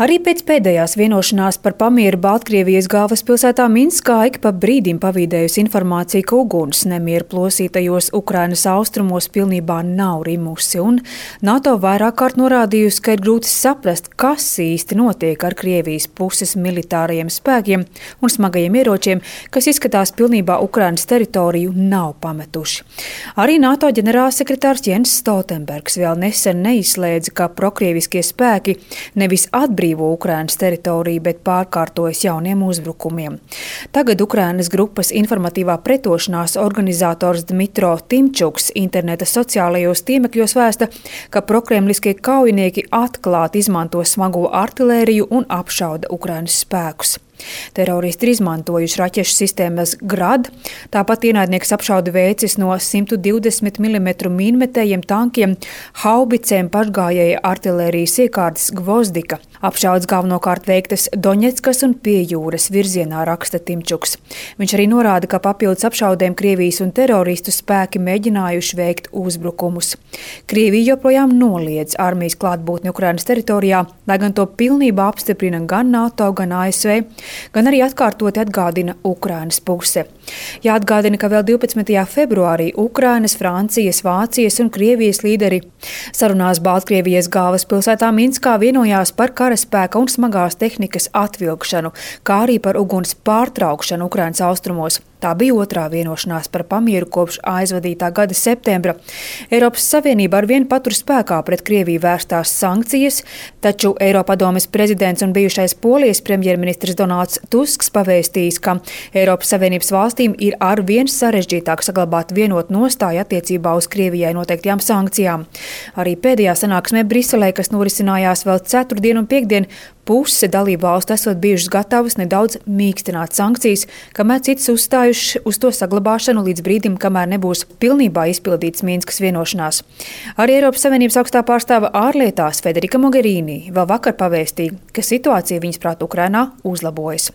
Arī pēc pēdējās vienošanās par pamieru Baltkrievijas galvaspilsētā Minskā ik pa brīdim pavīdējusi informācija, ka uguns nemieru plosītajos Ukrainas austrumos pilnībā nav rimusi, un NATO vairāk kārt norādījusi, ka ir grūti saprast, kas īsti notiek ar Krievijas puses militārajiem spēkiem un smagajiem ieročiem, kas izskatās pilnībā Ukrainas teritoriju nav pametuši. Arī NATO ģenerālsekretārs Jens Stoltenbergs vēl nesen neizslēdza, ka prokrieviskie spēki nevis atbrīvo Ukrainas teritoriju, bet pārkārtojas jauniem uzbrukumiem. Tagad Ukrainas grupas informatīvā pretošanās organizators Dmitro Timčuks interneta sociālajos tīmekļos vēsta, ka prokremliskie kaujinieki atklāti izmanto smago artilēriju un apšauda Ukrainas spēkus. Teroristi ir izmantojuši raķešu sistēmas Grad, tāpat ienaidnieks apšauda veicis no 120 mm mīnmetējiem tankiem, haubicēm, pašgājēja artilērijas iekārtas Gvozdika. Apšaudas galvenokārt veiktas Doņetskas un pie jūras virzienā, raksta Timčuks. Viņš arī norāda, ka papildus apšaudēm Krievijas un teroristu spēki mēģinājuši veikt uzbrukumus. Krievija joprojām noliedz armijas klātbūtni Ukrainas teritorijā, lai gan to pilnībā apstiprina gan NATO, gan ASV, gan arī atkārtoti atgādina Ukrainas puse. Jāatgādina, ka vēl 12. februārī Ukrainas, Francijas, Vācijas un Krievijas līderi sarunās Baltkrievijas galvaspilsētā Minskā vienojās par karaspēka un smagās tehnikas atvilkšanu, kā arī par uguns pārtraukšanu Ukrainas austrumos. Tā bija otrā vienošanās par pamieru kopš aizvadītā gada septembra. Eiropas Savienība arvien patur spēkā pret Krieviju vērstās sankcijas, taču Eiropadomes prezidents un bijušais Polijas premjerministrs Donalds Tusks pavēstījis, ka Eiropas Savienības valstīm ir arvien sarežģītāk saglabāt vienotu nostāju attiecībā uz Krievijai noteiktajām sankcijām. Arī pēdējā sanāksmē Briselē, kas norisinājās vēl ceturtdien un piektdien, puse dalību valstu esot bijušas gatavas nedaudz mīkstināt sankcijas, kamēr citas uzstājuši uz to saglabāšanu līdz brīdim, kamēr nebūs pilnībā izpildīts Minskas vienošanās. Arī Eiropas Savienības augstā pārstāve ārlietās Federika Mogherini vēl vakar pavēstīja, ka situācija viņas prāt Ukrainā uzlabojas.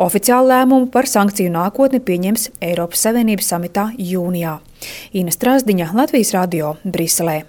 Oficiālu lēmumu par sankciju nākotni pieņems Eiropas Savienības samitā jūnijā. Ina Strasdiņa, Latvijas radio, Briselē.